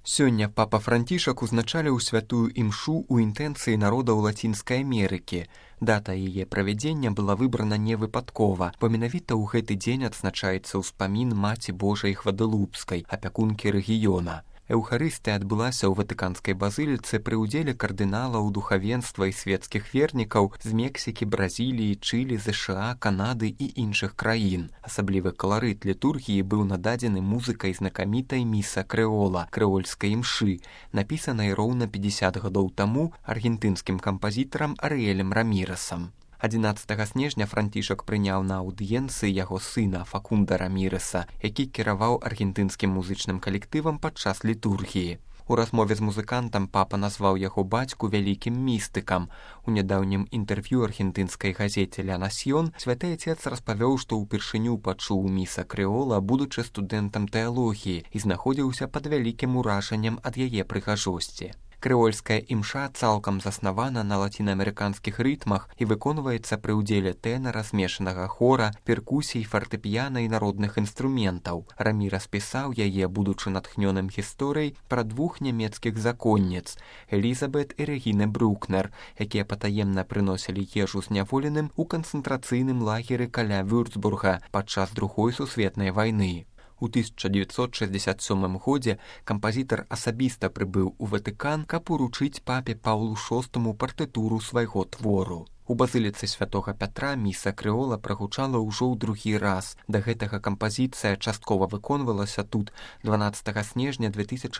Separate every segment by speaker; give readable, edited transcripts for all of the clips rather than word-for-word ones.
Speaker 1: Сёння папа Францішак узначаліў святую імшу ў інтэнцыі народаў Лацінскай Амерыкі. Дата яе правядзення была выбрана не выпадкова, бо менавіта ў гэты дзень адзначаецца ўспамін Маці Божай Гвадалупскай, апякункі рэгіёна. Эўхарыстыя адбылася ў Ватыканскай базыліцы пры ўдзеле кардыналаў, духавенства і светскіх вернікаў з Мексікі, Бразіліі, Чылі, ЗША, Канады і іншых краін. Асаблівы каларыт літургіі быў нададзены музыкай знакамітай міса крэола, крэольскай імшы, напісанай роўна 50 гадоў таму аргентынскім кампазітарам Арыэлем Раміресам. 11 снежня Францішак прыняў на аўдыенцыі яго сына Факунда Раміреса, які кіраваў аргентынскім музычным калектывам падчас літургіі. У размове з музыкантам папа назваў яго бацьку вялікім містыкам. У нядаўнім інтэрв'ю аргентынскай газеце «Ля Насьён» святы отец распавёў, што ўпершыню пачуў міса крэола, будучы студэнтам тэалогіі, і знаходзіўся пад вялікім уражаннем ад яе прыгажосці. Крэольская імша цалкам заснавана на лацінаамерыканскіх рытмах і выконваецца пры ўдзеле тэнара, змешанага хора, перкусій, фартэпіяна і народных інструментаў. Рамірес пісаў яе, будучы натхнёным гісторыяй пра двух нямецкіх законніц – Элізабет і Рэгіны Брукнер, якія патаемна прыносілі ежу зняволеным у канцэнтрацыйным лагеры каля Вюрцбурга падчас Другой сусветнай вайны. У 1967 годзе кампазітар асабіста прыбыў у Ватыкан, каб уручыць папе Паўлу VI партытуру свайго твору. У базыліцы святога Пятра міса крэола прагучала ўжо ў другі раз. Да гэтага кампазіцыя часткова выконвалася тут 12 снежня 2011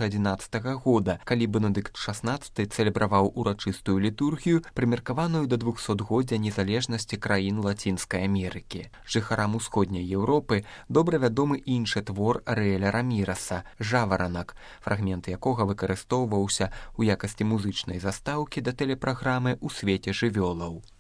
Speaker 1: года, калі Бенедыкт XVI цэлебраваў урачыстую літургію, прымеркаваную да 200годдзя незалежнасці краін Лацінскай Амерыкі. Жыхарам усходняй Еўропы добра вядомы іншы твор Арыэля Раміреса «Жаваранак», фрагмент якога выкарыстоўваўся ў якасці музычнай застаўкі да тэлепраграмы «У свеце жывёлаў».